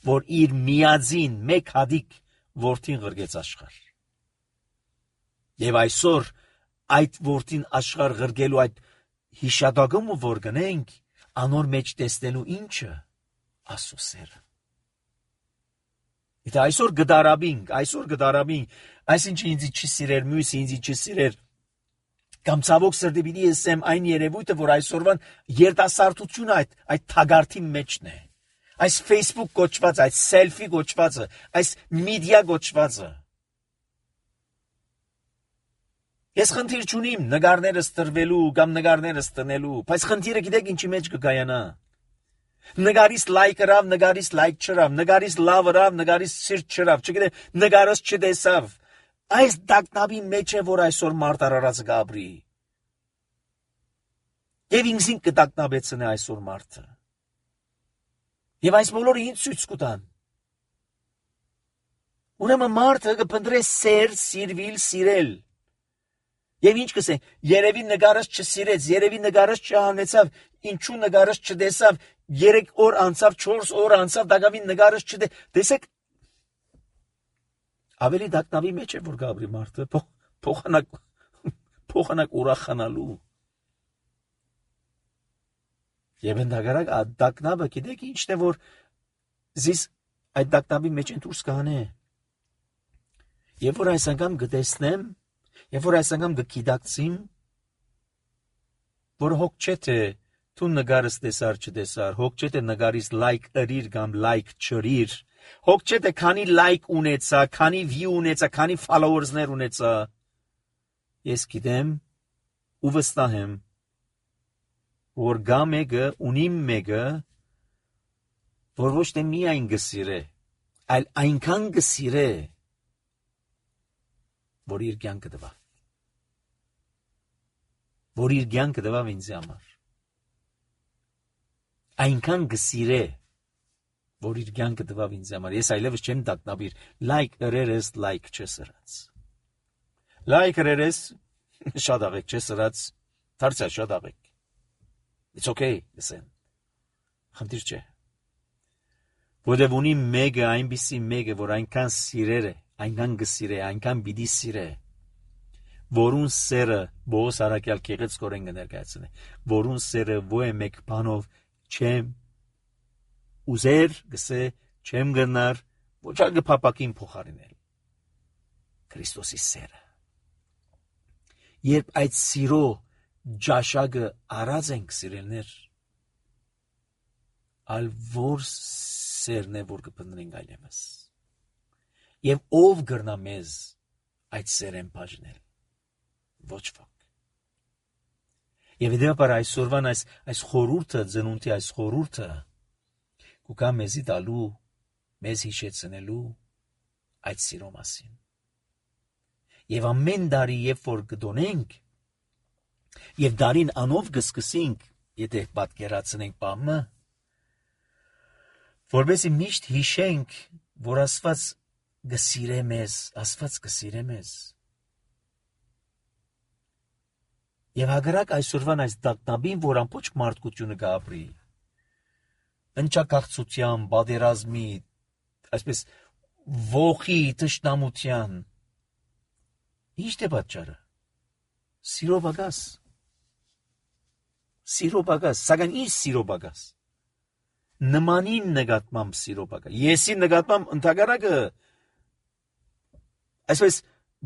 որ իր միածին մեկ հադիկ որդին ղրգեց աշխարհ եւ այսօր այդ որդին աշխարհ ղրգելու այդ հիշադակումը որ գնենք անոր մեջ տեսնելու ինչը Աստծո սերը Եթե այսօր գդարաբինք, այսինչն ինձ չի սիրեր, մյուսը ինձ չի սիրեր, կամ ցավոք սրտի պիտի ասեմ այն երևույթը, որ այսօրվան երիտասարդությունը այդ թագարտի մեջն է, այս Facebook կոչվածը, այս selfie կոչվածը, այս media կոչվածը։ Ես խնդիր չունիմ նկարներս տրվելու կամ նկարներս տնելու, բայց խնդիրը գիտեք ինչի մեջ կգայանա։ Նկարից լայք գրավ, նկարից լայք չրավ, նկարից լավ գրավ, նկարից սիրտ չրավ, չգիտեմ, նկարս չտեսավ։ Այս դակնաբի մեջ է, որ այսօր մարդ արարածը գաբրի։ Եվ ինքսին կդակնաբեցնե այսօր մարդը։ Եվ այս բոլորը ինձ ցույց կտան։ Ուրեմն մարդը կփնտրե սեր, սիրվել, սիրել։ Եվ ինչ կսե, երևի նկարս չսիրեց, երևի նկարս չհանեցավ, ինչու նկարս չտեսավ, 3 օր անցավ, 4 օր անցավ, դակավին նկարս չտեսեք։ Ավելի դակնավի մեջ է, որ գաբրի մարդը, փոխանակ ուրախանալու։ Եվ ընդհակարակ դակնավը գիտեք ինչն է, որ զիս այդ դակնավի մեջ են դուրս կանե։ Եվ որ այս անգամ գտեսնեմ, եւ որ այս անգամ գկիդակցիմ, որ հոգ չէ թե դու նկարս տեսար չտեսար, հոգ չէ թե նկարից լայք ըրիր կամ լայք չրիր, հոգ չէ թե քանի լայք ունեցա, քանի view ունեցա, քանի followers-ներ ունեցա։ Ես գիտեմ ու վստահ եմ, որ գա մեկը, ունիմ մեկը, որ ոչ թե միայն գսիրե, այլ այնքան գսիրե, որ իր կյանքը տվա։ Որ իր կյանքը տվավ ինձ համար։ Այնքան գսիրե, որ իր կյանքը տվավ ինձ համար։ Ես այլևս չեմ դակնաբիր, լայք ըրերես, լայք չսրած։ Լայք ըրերես, շատ աղեք չսրած, դարձյալ շատ աղեք։ It's okay, լսեն։ Խնդիր չէ։ Որտև ունի մեկը, այնպիսի մեկը, որ այնքան սիրեր է, այնքան գսիրե, այնքան պիտի սիրե, որուն սերը Բոս Արաքյալ Գեղեցկորեն կներկայացնե, որուն սերը ոչ մեկ բանով չեմ ուզեր, գսե չեմ գնար, ոչ ալ գփապակին փոխարինել։ Քրիստոսի սերը։ Երբ այդ սիրո ջաշակը արած ենք սիրելներ, ալ որ սերն է, որ կպնդրենք այլևս։ Եվ ով գրնա մեզ այդ սերեն բաժնել, ոչ ոք։ Եվ դեպար այսօրվան այս խորուրդը, ծնունդի այս խորուրդը, կուկա մեզի տալու, մեզ հիշեցնելու այդ սիրո մասին։ Եվ ամեն դարի երբ որ կդոնենք, եւ դարին անով կսկսենք, եթե պատկերացնենք բամը, որովհետեւ միշտ հիշենք, որ Աստված գսիրե մեզ, Աստված գսիրե մեզ։ Եվ հակառակ այսօրվան այս դակնաբին, որ ամբողջ մարդկությունը կապրի, ընչակաղցության, բادرազմի, այսպես ողի տշնամության, ի՞նչ է պատճառը։ Սիրո բագաս, սակայն ինչ սիրո բագաս։ Նմանին նկատմամբ սիրո բագաս։ Եսի նկատմամբ ընդհակառակը, այսպես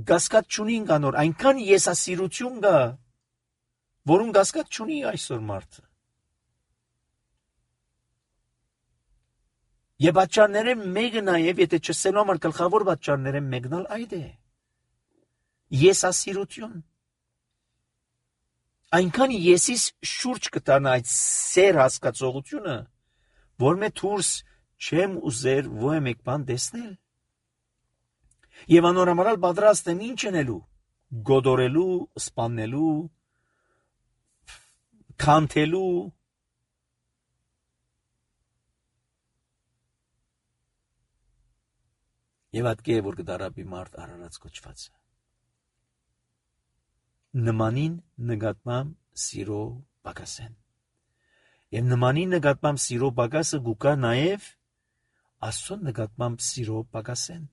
գասկած չունին կանոր, այնքան եսասիրություն կա, որուն գասկած չունի այսօր մարդը։ Եվ պատճառները մեկը նաև, եթե չսելու համար գլխավոր պատճառները մեկն էլ այդ է։ Եսասիրություն։ Այնքան եսիս շուրջ կտանա այդ սեր հասկացողությունը, որ մե դուրս չեմ ուզեր ոչ մեկ բան տեսնել։ Եվ անորամալ պատրաստ եմ ինչ անելու, գոդորելու, սպանելու, քանթելու։ Եվ այդ կե որ կդարաբի մարդ արարած կոչվածը։ Նմանին նկատմամբ սիրո բագասեն։ Եվ նմանին նկատմամբ սիրո բագասը գուկա նաև Աստծո նկատմամբ սիրո բագասեն։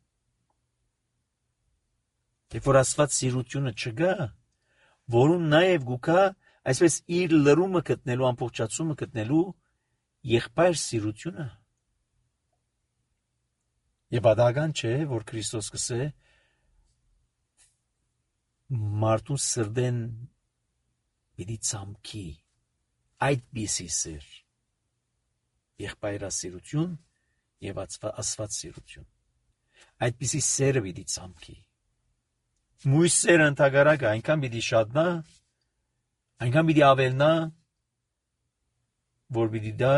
Եվ որ Աստված սիրությունը չգա, որուն նաև գուկա այսպես իր լրումը գտնելու, ամբողջացումը գտնելու եղբայր սիրությունը։ Եվ պատահական չէ, որ Քրիստոս կսե մարդու սրդեն պիտի ցամքի այդպիսի սեր, եղբայրասիրություն եւ աստվածասիրություն, այդպիսի սերը պիտի ցամքի։ Մույս սերը ընդհանրակը այնքան պիտի շատնա, այնքան պիտի ավելնա, որ պիտի դա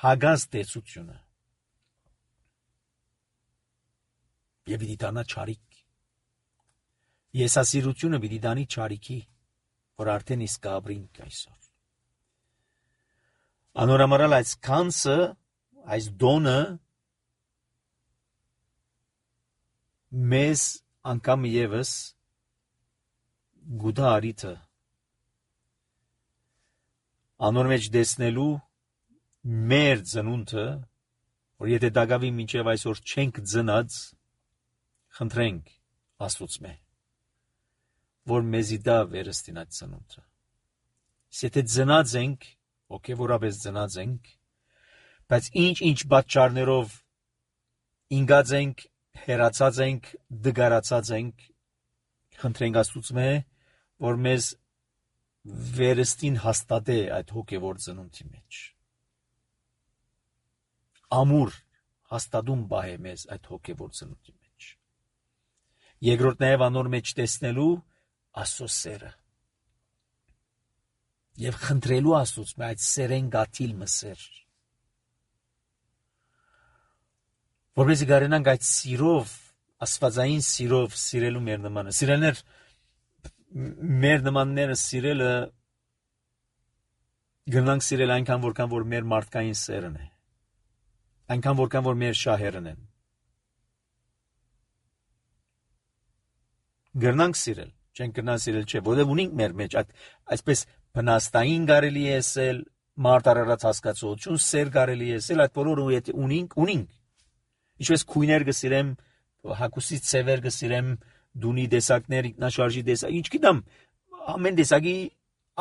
հագած տեսությունը եւ պիտի դառնա չարիք։ Եսասիրությունը պիտի դանի չարիքի, որ արդեն իսկ կապրինք այսօր։ Անորամարալ այս կանսը, այս դոնը մեզ անգամ եւս գուտա արիթը անոր մեջ դեսնելու մեր ծնունդը, որ եթե դակավի մինչև այսօր չենք ծնած, խնդրենք Աստծուց որ մեզի դա վերստին այդ ծնունդը։ Եթե ծնած ենք, հոգևորապես ծնած ենք, բայց ինչ պատճառներով ինգած ենք, հերացած ենք, դգարացած ենք, խնդրենք Աստծուց որ մեզ վերստին հաստատե այդ հոգևոր ծնունդի մեջ։ Ամուր հաստատում բահե մեզ այդ հոգևոր ծնունդի մեջ։ Երկրորդ նաև անոր մեջ տեսնելու Աստծո սերը եւ խնդրելու Աստծուց այդ սերեն գաթիլ մսեր, որովհետեւ գարենանք այդ սիրով, աստվածային սիրով սիրելու մեր նմանը։ Սիրելներ, մեր նմանները սիրելը գնանք սիրել այնքան որքան որ մեր մարդկային սերն է, այնքան որքան որ մեր շահերն են։ Գնանք սիրել, չենք գնան սիրել չէ, որովհետև ունենք մեր մեջ այսպես բնաստային կարելի է ասել, մարդ արարած հասկացություն, սեր կարելի է ասել, այդ բոլորը եթե ունենք։ Ինչպես քույներ կսիրեմ, հագուստի ցևեր կսիրեմ, դունի տեսակներ, ինքնաշարժի տեսակ, ինչ գիտեմ, ամեն տեսակի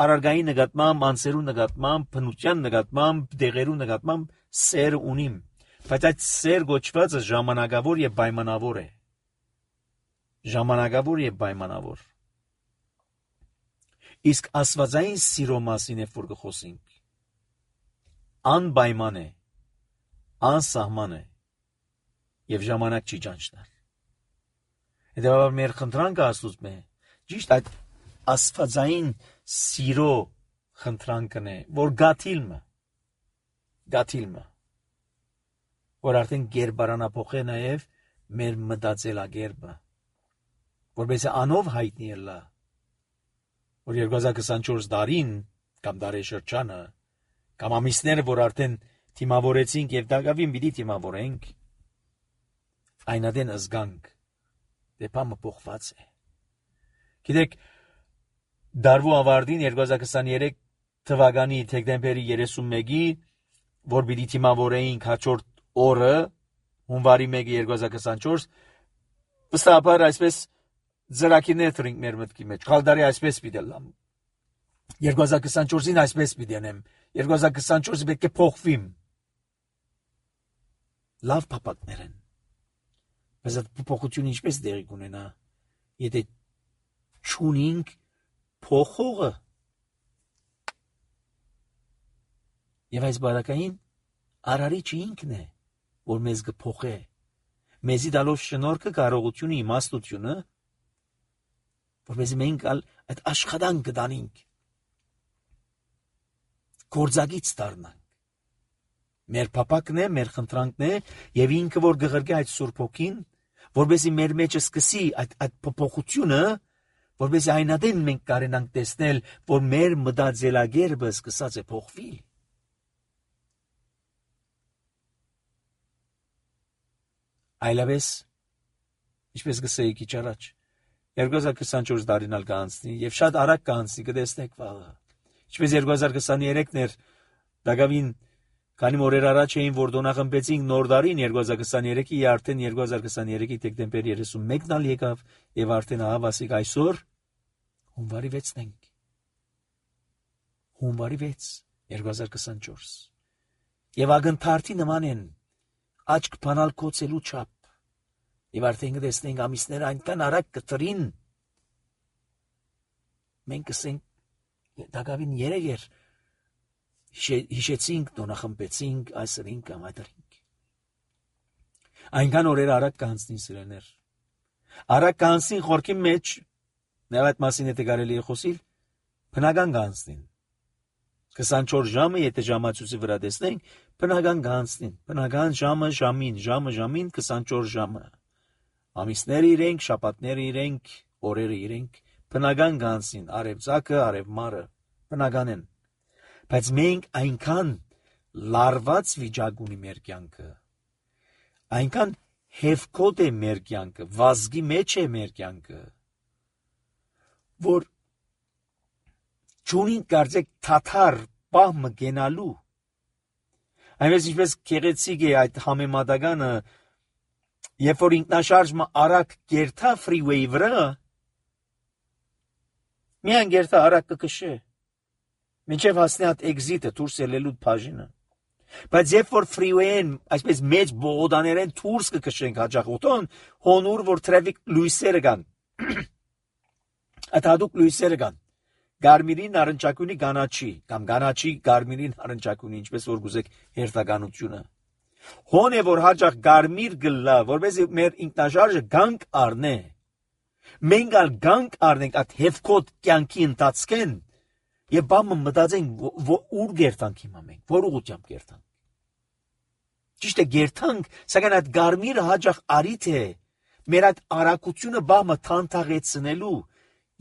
արարգայի նկատմամբ, անսերու նկատմամբ, բնության նկատմամբ, դեղերու նկատմամբ սեր ունիմ, բայց այդ սեր գոչվածը ժամանակավոր եւ պայմանավոր է։ Ժամանակավոր եւ պայմանավոր։ Իսկ աստվածային սիրո մասին է որ կխոսենք։ Անպայման է, անսահման է եւ ժամանակ չի ճանչնալ։ Հետեւաբար մեր խնդրանքը Աստծուց է, ճիշտ այդ աստվածային սիրո խնդրանքն է, որ գաթիլմը, որ արդեն գերբարանափոխե նաեւ մեր մտածելակերպը, որպես անով հայտնի ելա, որ 2024 տարին կամ դարաշրջանը կամ ամիսները, որ արդեն թիմավորեցինք եւ դակավին պիտի թիմավորենք, այնադեն զգանք դեպամը փոխված է։ Գիտեք, դարվու ավարտին 2023 թվականի դեկտեմբերի 31-ի, որ պիտի թիմավորեինք հաջորդ օրը, հունվարի 1-ի 2024, վստահաբար այսպես ծրագիրներ թրինք մեր մտքի մեջ, խալդարի այսպես պիտի լամ, 2024-ին այսպես պիտի անեմ, 2024-ը պետք է փոխվիմ, լավ փապակներ են, բայց այդ փոխությունը ինչպես դեղի կունենա, եթե չունենք փոխողը, եւ այս բարակային արարիչը ինքն է, որ մեզ կփոխե, մեզի դալով շնորհքը, կարողությունը, իմաստությունը, որպես մենք այդ աշխատանքը դանենք, գործակից դառնանք։ Մեր փապակն է, մեր խնդրանքն է, եւ ինքը որ գղրկե այդ Սուրբ Հոգին, որպեսզի մեր մեջ սկսի այդ փոփոխությունը, որպեսզի այնադեն մենք կարենանք տեսնել, որ մեր մտածելակերպը սկսած է փոխվել։ Այլապես, ինչպես գսեի քիչ առաջ, 2024 տարին ալ կանցնի եւ շատ արագ կանցնի, կտեսնեք վաղը։ Ինչպես 2023-ն էր, դակավին քանի օրեր առաջ էին, որ դոնախմբեցինք նոր տարին 2023-ի, արդեն 2023-ի դեկտեմբերի 31-ն ալ եկավ եւ արդեն հավասիկ այսօր հունվարի 6-ն ենք։ Հունվարի 6 2024։ Եվ ագնթարթի նման են աչք բանալ կոծելու չափ։ Եվ արդեն կտեսնենք ամիսները այնքան արագ կտրին, մենք կսենք դակավին երեգեր հիշեցինք, տոնախմբեցինք, այսրինք կամ այդրինք։ Այնքան օրերը արագ կանցնին սիրելիներ։ Արագ կանցնին խորքի մեջ, նաև այդ մասին եթե կարելի է խոսել, բնական կանցնին։ 24 ժամը, եթե ժամացույցի վրա տեսնենք, բնական կանցնին։ Բնական ժամին 24 ժամը։ Ամիսները իրենք, շաբաթները իրենք, օրերը իրենք, բնական կանցնին, արևծագը, արևմարը, բնական են։ Բայց մենք այնքան լարված վիճակ ունի մեր կյանքը, այնքան հևկոտ է մեր կյանքը, վազգի մեջ է մեր կյանքը, որ չունին կարծեք թաթար պահմը գենալու։ Այնպես ինչպես գեղեցիկ է այդ համեմատականը, երբ որ ինքնաշարժը արագ գերտա ֆրիվեյի վրա, միայն գերտա արագ կքշե, մինչև հասնի այդ էքզիտը դուրս ելելու բաժինը։ Բայց երբ որ ֆրիվեյին այսպես մեծ բողոդաներեն դուրս կքշենք հաջողություն, հոնուր որ տրաֆիկ լույսերը կան, այդ հատուկ լույսերը կան, գարմիրին նարնջակունի կանաչի, կամ կանաչի գարմիրին նարնջակունի, ինչպես որ գուզեք հերթականությունը։ Հոն է որ հաջող գարմիր գլա, որպեսզի մեր ինքնաշարժը գանք առնե։ Մենք ալ գանք առնենք այդ հևկոտ կյանքի ընթացքեն եւ բամը մտածենք ուր գերտանք հիմա մենք, որ ուղղությամբ գերտանք։ Ճիշտ է գերտանք, սակայն այդ գարմիրը հաջող արիթ է մեր այդ արագությունը բամը թանթաղեցնելու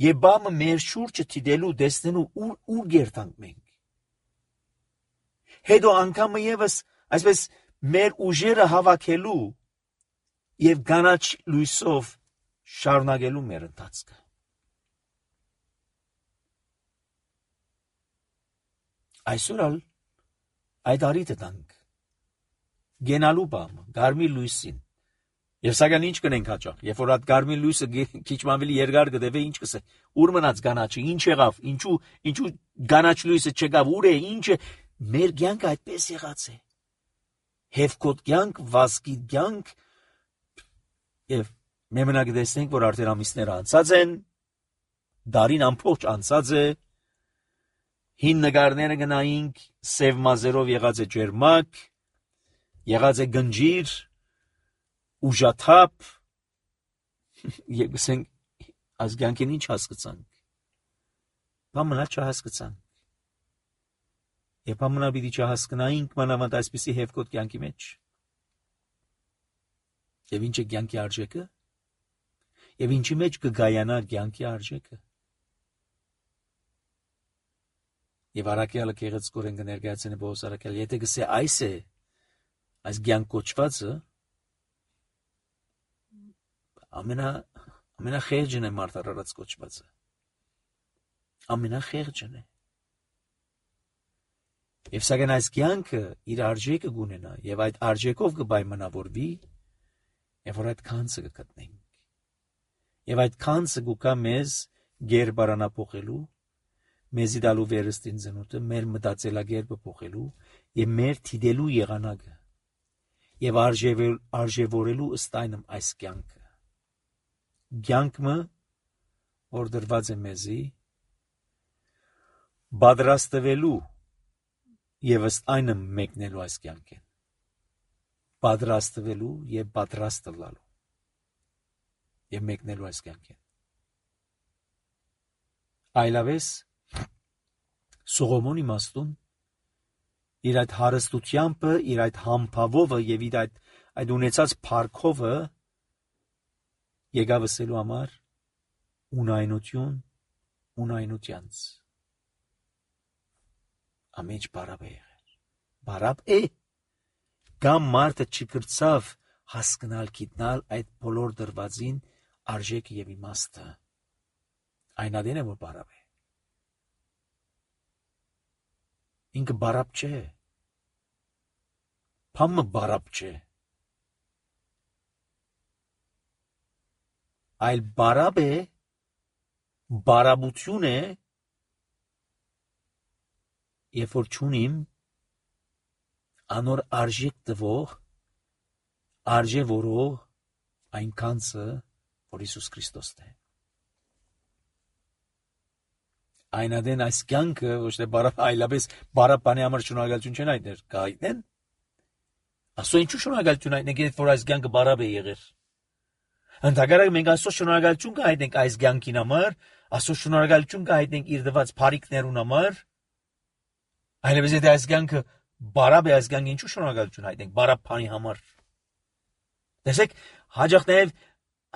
եւ բամը մեր շուրջը դիտելու, տեսնելու ուր գերտանք մենք։ Հետո անգամ եւս այսպես մեր ուժերը հավաքելու եւ կանաչ լույսով շարունակելու մեր ընթացքը։ Այսօր այդ արիտը տանք գենալու բամը, գարմիր լույսին։ Եվ սակայն ինչ կնենք հաճախ, երբ որ այդ գարմիր լույսը քիչ ավելի երկար կդեվե, ինչ կսե։ Ուր մնաց կանաչը, ինչ եղավ, ինչու կանաչ լույսը չեկավ, ուր է, ինչ է։ Մեր կյանքը այդպես եղած է։ Հևկոտ կյանք, վազքի կյանք, եւ մենք մենակ տեսնենք, որ արդեն ամիսները անցած են, դարին ամբողջ անցած է, հին նկարները գնայինք, սև մազերով եղած է ջերմակ, եղած է գնջիր, ուժաթափ, եւ գսենք այս կյանքին ինչ հասկացանք։ Բամնա չհասկացանք։ Եվ բամնա պիտի չհասկանայինք մանավանդ այսպիսի հևկոտ կյանքի մեջ։ Եվ ինչ է կյանքի արժեքը։ Եվ ինչի մեջ կգայանա կյանքի արժեքը։ Եվ առաքյալը գեղեցկորեն կներկայացնի Պողոս առաքյալ, եթե գսե այս է, այս կյանք կոչվածը, ամենախեղճն է մարդ արարած կոչվածը։ Ամենախեղճն է։ Եվ սակայն այս կյանքը իր արժեքը կունենա, եւ այդ արժեքով կպայմանավորվի, եւ որ այդ քանցը կգտնենք։ Եվ այդ քանցը կուկա մեզ գերբարանափոխելու, մեզի դալու վերստին ծնուտը, մեր մտածելակերպը փոխելու եւ մեր թիդելու եղանակը եւ արժեվորելու ըստ այնմ այս կյանքը։ Կյանքը, որ դրված է մեզի, պատրաստվելու եւ ըստ այնմ մեկնելու այս կյանքին։ Պատրաստվելու եւ պատրաստ լալու եւ մեկնելու այս կյանքին։ Այլավես Սողոմոնի իմաստուն իր այդ հարստությամբ, իր այդ համբավով եւ իր այդ ունեցած փառքով եկավ ասելու համար ունայնությանց ամեջ բարապ է եղել։ Բարապ է կամ մարդը չկրծավ հասկանալ գիտնալ այդ բոլոր դրվածին արժեքը եւ իմաստը։ Այն ադեն է որ բարապ է։ Ինքը բարապ չէ։ Փամը բարապ չէ։ Այլ բարապ է, բարաբություն է, երբ որ չունիմ անոր արժեք տվող արժե որող այնքանցը, որ Հիսուս Քրիստոսն է։ Այնադեն այս կյանքը ոչ թե այլապես բարապանի համար շնորհակալություն չեն հայտներ, կհայտնեն։ Աստծո ինչու շնորհակալություն հայտնենք, երբ որ այս կյանքը բարապ է եղել։ Ընդհակառակը մենք Աստծո շնորհակալություն կհայտնենք այս կյանքին համար, Աստծո շնորհակալություն կհայտնենք իր տված բարիքներուն համար։ Այլևս եթե այս կյանքը բարապ է, այս կյանքը ինչու շնորհակալություն հայտնենք բարապանի համար։ Տեսեք, հաջող նաև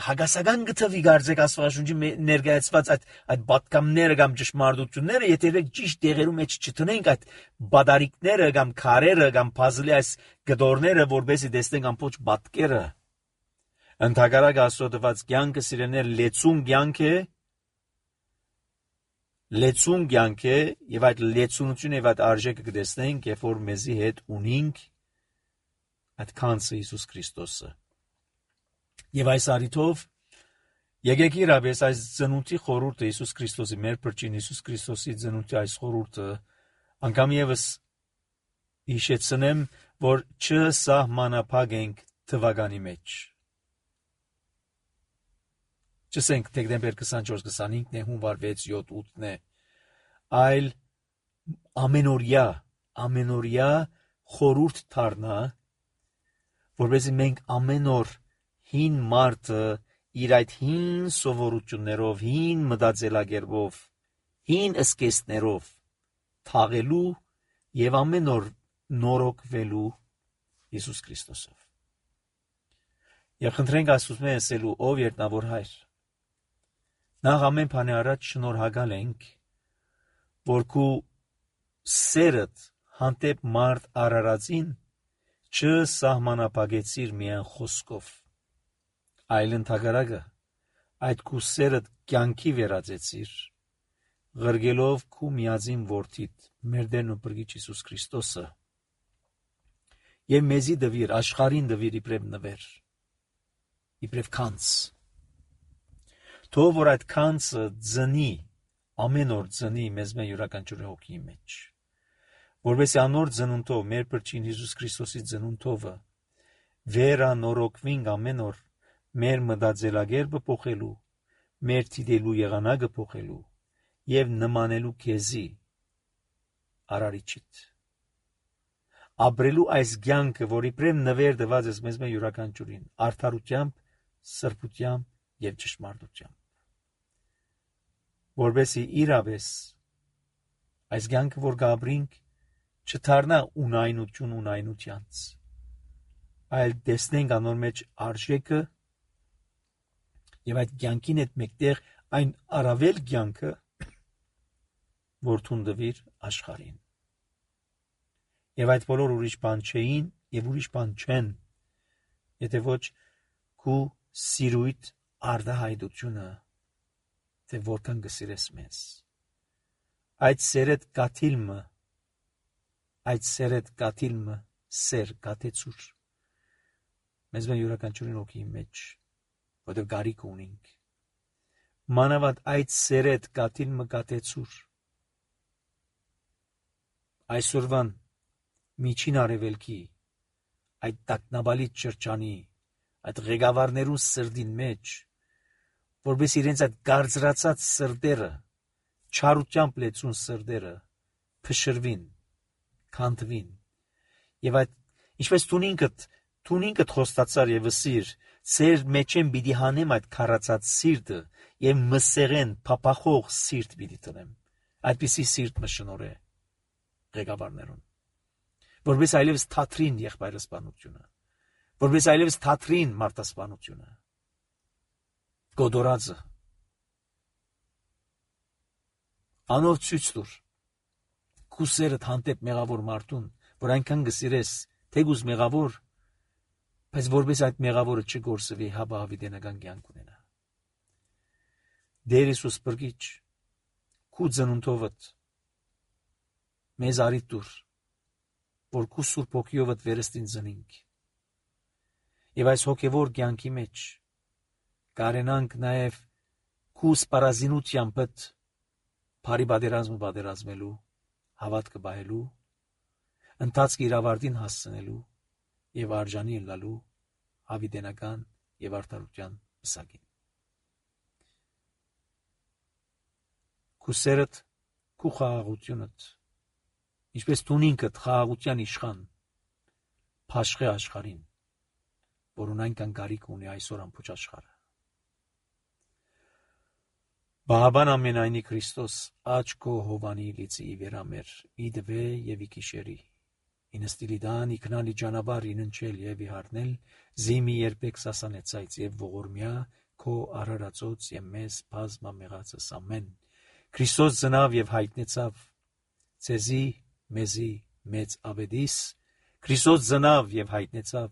հագասական գծվի գարձեք Աստվածաշունչի ներկայացված այդ պատկամները կամ ճշմարտությունները, եթե ճիշտ տեղերում մեջ չտնենք այդ բադարիկները կամ քարերը կամ puzzle-ի այս գդորները, որբեսի տեսնենք ամբողջ պատկերը։ Ընդհակառակը Աստծո տված կյանքը սիրելիներ լեցուն կյանք է, եւ այդ լեցունությունը եւ այդ արժեքը կտեսնենք, երբ որ մեզի հետ ունենք այդ քանսը Հիսուս Քրիստոսը։ Եվ այս առիթով եկեք իրապես այս ծնունդի խորհուրդը Հիսուս Քրիստոսի մեր փրկին Հիսուս Քրիստոսի ծնունդի այս խորհուրդը անգամ եւս հիշեցնեմ, որ չսահմանափակենք թվականի մեջ։ Չսենք դեկտեմբեր 24-25-ն է, հունվար 6-7-8-ն է, այլ ամենօրյա խորհուրդ դառնա, որովհետեւ մենք ամեն օր հին մարդը իր այդ հին սովորություններով, հին մտածելակերպով, հին սկեզբներով թաղելու եւ ամեն օր նորոգվելու Հիսուս Քրիստոսով։ Եվ խնդրենք Աստծուց ասելու, ով երտնավոր Հայր, նախ ամեն բանի առաջ շնորհակալ ենք, որ քու սերդ հանդեպ մարդ արարածին չսահմանափակեցիր միայն խոսքով, այլ ընդհակառակը այդ քու սերդ կյանքի վերածեցիր, ղրգելով քու միածին որդիդ, մեր Տերն ու Փրկիչ Հիսուս Քրիստոսը, եւ մեզի դվիր, աշխարհին դվիր իբրև նվեր, իբրև քանց, թող որ այդ քանցը ծնի, ամեն օր ծնի մեզ մեր յուրաքանչյուր հոգի մեջ, որովհետեւ անոր ծնունդով, մեր Փրկին Հիսուս Քրիստոսի ծնունդովը, վերանորոգվենք ամեն օր մեր մտածելակերպը փոխելու, մեր դիտելու եղանակը փոխելու եւ նմանելու քեզի արարիչիդ։ Ապրելու այս կյանքը, որ իբրև նվեր տված ես մեզ մեր յուրաքանչյուրին, արդարությամբ, սրբությամբ եւ ճշմարտությամբ, որովհետեւ իրապես այս կյանքը, որ գաբրինք, չդառնա ունայնությանց, այլ տեսնենք անոր մեջ արժեքը եւ այդ կյանքին հետ մեկտեղ այն առավել կյանքը, որ թունդվիր աշխարհին։ Եվ այդ բոլոր ուրիշ բան չէին եւ ուրիշ բան չեն, եթե ոչ քու սիրույթ արդահայտությունը, թե որքան կսիրես մեզ։ Այդ սերդ կաթիլմը սեր կաթեցուր մեզ մեր յուրաքանչյուրին հոգի մեջ, որտեղ գարիք ունենք։ Մանավանդ այդ սերդ կաթիլմը կաթեցուր այսօրվան միջին արևելքի, այդ տագնապալից շրջանի, այդ ղեկավարներուն սրտին մեջ, որպես իրենց այդ գարձրացած սրտերը, չարությամբ լեցուն սրտերը փշրվին, քանդվին, եւ այդ ինչպես թունինքդ խոստացար եւ վսիր, ծեր մեջեն պիտի հանեմ այդ քարացած սիրտը եւ մսեղեն փափախող սիրտ պիտի տնեմ, այդպիսի սիրտ մը շնորհե ղեկավարներուն, որպես այլևս թատրին եղբայրասպանությունը, որպես այլևս թատրին մարդասպանությունը, գոդորածը, անոր ցույց տուր քու սերդ հանդեպ մեղավոր մարդուն, որ այնքան գսիրես, թեգուզ մեղավոր, բայց որպես այդ մեղավորը չգործվի, հաբա հավիտենական կյանք ունենա։ Տեր Հիսուս Փրկիչ, քու ծնունդովդ մեզ արիթ տուր, որ քու Սուրբ Հոգիովդ վերստին ծնինք, եւ այս հոգեվոր կյանքի մեջ կարենանք նաեւ քու սպառազինությամբ բարի պատերազմելու, հավատքը պահելու, ընթացքի իր ավարտին հասցնելու եւ արժանի ելնալու հավիտենական եւ արդարության պսակին։ Քու սերդ, քու խաղաղությունդ, ինչպես դու ինքդ խաղաղության իշխան, փաշխե աշխարհին, որուն այնքան կարիք ունի այսօր ամբողջ աշխարհը։ Բահաբան ամենայնի Քրիստոս աչ քո հովանի լիցի վերամեր իդվե եւ իքիշերի ինստիլիդան իքնալի ճանապարհ իննչել եւ իհարնել զիմի երբեք սասանեցայց եւ ողորմյա քո արարածոց եւ մեզ բազմա մեղածս ամեն Քրիստոս ծնավ եւ հայտնեցավ ցեզի մեզի մեծ ավետիս Քրիստոս ծնավ եւ հայտնեցավ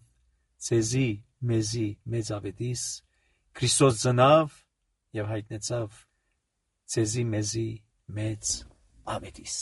ցեզի մեզի մեծ ավետիս Քրիստոս ծնավ եւ հայտնեցավ ցեզի մեզի մեծ ավետիս